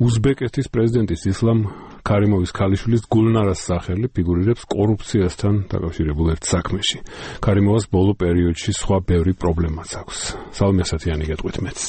უზბეკეთის პრეზიდენტის ისლამ ქარიმოვის ქალიშვილის გულნარას სახელი ფიგურირებს კორუფციასთან დაკავშირებულ ერთ საქმეში. ქარიმოვას ბოლო პერიოდში სხვა ბევრი პრობლემაც აქვს. სალომე ასათიანი გეტყვით მეც.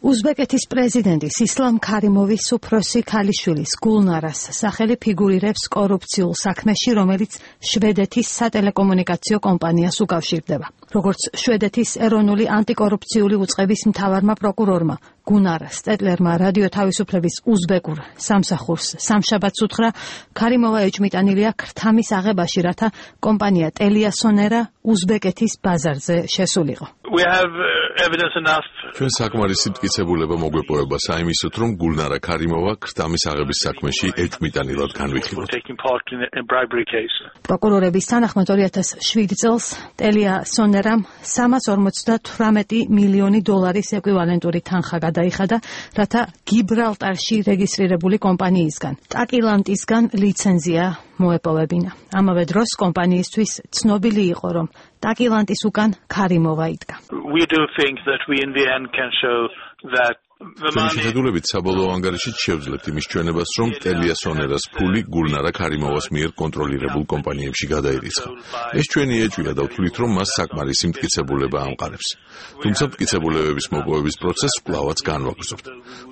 უზბეკეთის პრეზიდენტის ისლამ ქარიმოვის უფროსი ქალიშვილის გულნარას სახელი ფიგურირებს კორუფციულ საქმეში, რომელიც შვედეთის სატელეკომუნიკაციო კომპანიას უკავშირდება. როგორც შვედეთის ეროვნული ანტიკორუფციული უწყების მთავარმა პროკურორმა გუნარ სტეტლერმა რადიო თავისუფლების უზბეკურ სამსახურს სამშაბათს უთხრა, ქარიმოვა ეჭმიტანილია ქრთამის აღებაში, რათა კომპანია ტელიასონერა უზბეკეთის ბაზარზე შესულიყო. ჩვენ საკმარისი მტკიცებულება მოგვეპოვება საიმისოთ, რომ გულნარა ქარიმოვა ქრთამის აღების საქმეში ეჭმიტანილად განვიხილოთ. პროკურორების თანახმად 2007 წელს ტელიასონერამ 358 მილიონი დოლარის ეკვივალენტური თანხა გადაიხადა, რათა გიბრალტარში რეგისტრირებული კომპანიისგან ტაკილანტისგან ლიცენზია მოეპოვებინა. ამავე დროს კომპანიისთვის ცნობილი იყო, რომ ტაკილანტის უკან ქარიმოვა იდგა. ჩვენი შეხედულებით საბოლოო ანგარიშით შევძლებთ იმის ჩვენებას, რომ ტელიასონერას ფული გულნარა ქარიმოვას მიერ კონტროლირებულ კომპანიებში გადაირიცხა. ეს ჩვენი ეჭვია და ვთვლით, რომ მას საკმარისი მტკიცებულება ამყარებს. თუმცა მტკიცებულებების მოპოვების პროცესს კვლავაც განვაგრძობთ.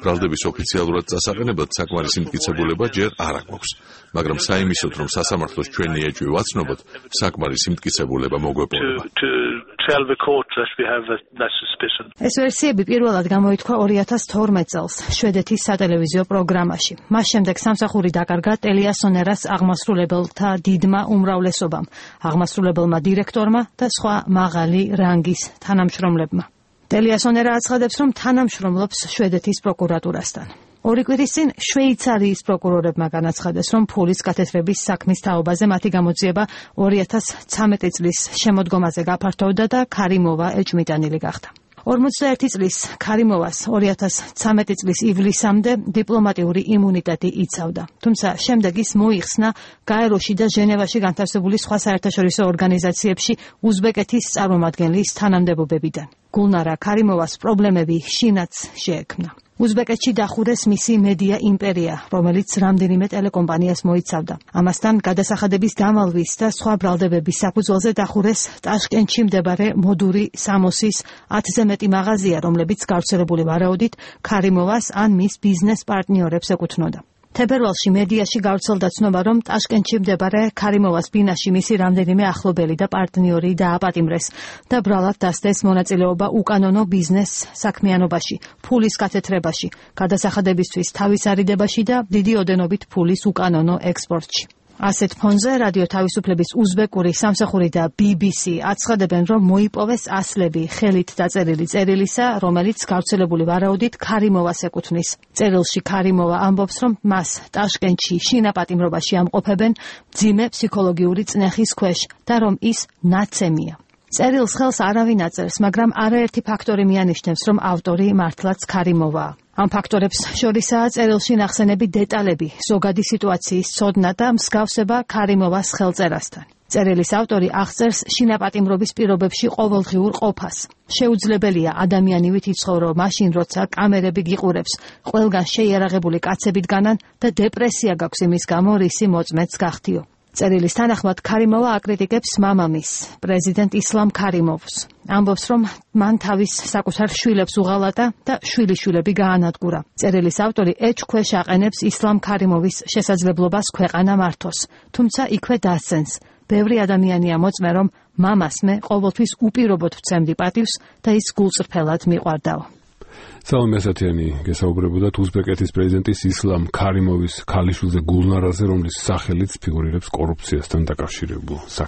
ბრალდების ოფიციალურად წასაყენებლად საკმარისი მტკიცებულება ჯერ არ აქვს, მაგრამ საიმისოთ, რომ სასამართლოს ჩვენი ეჭვი ვაცნობოთ, საკმარისი მტკიცებულება მოგვეპოვება. ეს ვერსიები პირველად გამოითქვა 2012 წელს შვედეთის სატელევიზიო პროგრამაში. მას შემდეგ სამსახური დაკარგა ტელიასონერას აღმასრულებელთა დიდმა უმრავლესობამ, აღმასრულებელმა დირექტორმა და სხვა მაღალი რანგის თანამშრომლებმა. ტელიასონერა აცხადებს, რომ თანამშრომლობს შვედეთის პროკურატურასთან. ორი კვირის წინ შვეიცარიის პროკურორებმა განაცხადეს, რომ ფულის გათეთრების საქმის თაობაზე მათი გამოძიება 2013 წლის შემოდგომაზე გაფართოვდა და ქარიმოვა ეჭმიტანილი გახდა. 41 წლის ქარიმოვას 2013 წლის ივლისამდე დიპლომატიური იმუნიტეტი იცავდა. თუმცა შემდეგ ის მოიხსნა გაეროში და ჟენევაში განთავსებული სხვა საერთაშორისო ორგანიზაციებში უზბეკეთის წარმომადგენლის თანამდებობებიდან. გულნარა ქარიმოვას პრობლემები შინაც შეექმნა. უზბეკეთში დახურეს მისი მედია იმპერია, რომელიც რამდენიმე ტელეკომპანიას მოიცავდა. ამასთან გადასახადების დამალვის და სხვა ბრალდებების საფუძველზე დახურეს ტაშკენტში მდებარე მოდური სამოსის 10-ზე მეტი მაღაზია, რომლებიც გავრცელებული ვარაუდით ქარიმოვას ან მის ბიზნეს პარტნიორებს ეკუთვნოდა. თებერვალში მედიაში გავრცელდა ცნობა, რომ ტაშკენტში მდებარე ქარიმოვას ბინაში მისი რამდენიმე ახლობელი და პარტნიორი დააპატიმრეს და ბრალად დასდეს მონაწილეობა უკანონო ბიზნეს საქმიანობაში, ფულის გათეთრებაში, გადასახადებისთვის თავის არიდებაში და დიდი ოდენობით ფულის უკანონო ექსპორტში. ასეთ ფონზე რადიო თავისუფლების უზბეკური სამსახური და BBC აცხადებენ, რომ მოიპოვეს ასლები ხელით დაწერილი წერილისა, რომელიც გავრცელებული ვარაუდით ქარიმოვას ეკუთვნის. წერილში ქარიმოვა ამბობს, რომ მას ტაშკენტში შინაპატიმრობაში ამყოფებენ მძიმე ფსიქოლოგიური წნეხის ქვეშ და რომ ის ნაცემია. წერილს ხელს არავინ აწერს, მაგრამ არაერთი ფაქტორი მიანიშნებს, რომ ავტორი მართლაც ქარიმოვაა. ამ ფაქტორებს შორისაა წერილში ნახსენები დეტალები, ზოგადი სიტუაციის ცოდნა და მსგავსება ქარიმოვას ხელწერასთან. წერილის ავტორი აღწერს შინაპატიმრობის პირობებში ყოველდღიურ ყოფას. შეუძლებელია ადამიანივით იცხოვრო მაშინ, როცა კამერები გიყურებს, ყველგან შეიარაღებული კაცებით განან და დეპრესია გაქვს იმის გამო, რისი მოწმეც გახდიო. წერილის თანახმად ქარიმოვა აკრიტიკებს მამამისს, პრეზიდენტ ისლამ ქარიმოვს. ამბობს, რომ მან თავის საკუთარ შვილებს უღალატა და შვილიშვილები გაანადგურა. წერილის ავტორი ეჭქვეშ აყენებს ისლამ ქარიმოვის შესაძლებლობას ქვეყანა მართოს, თუმცა იქვე დასცენს. ბევრი ადამიანია მოწმე, რომ მამას მე ყოველთვის უპირობოდ ვცემდი პატივს და ის გულწრფელად მიყვარდაო. სალომე ასათიანი გესაუბრებოდათ უზბეკეთის პრეზიდენტის ისლამ ქარიმოვის ქალიშვილზე გულნარაზე, რომლის სახელიც ფიგურირებს კორუფციასთან დაკავშირებულ